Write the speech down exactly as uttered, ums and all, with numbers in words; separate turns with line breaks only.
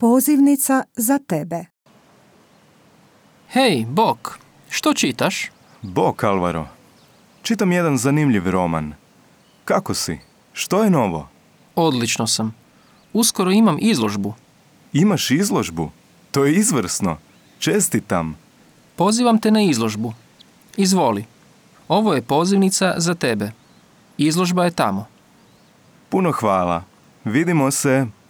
Pozivnica za tebe.
Hej, Bok, što čitaš?
Bok, Alvaro. Čitam jedan zanimljiv roman. Kako si? Što je novo?
Odlično sam. Uskoro imam izložbu.
Imaš izložbu? To je izvrsno. Čestitam.
Pozivam te na izložbu. Izvoli. Ovo je pozivnica za tebe. Izložba je tamo.
Puno hvala. Vidimo se.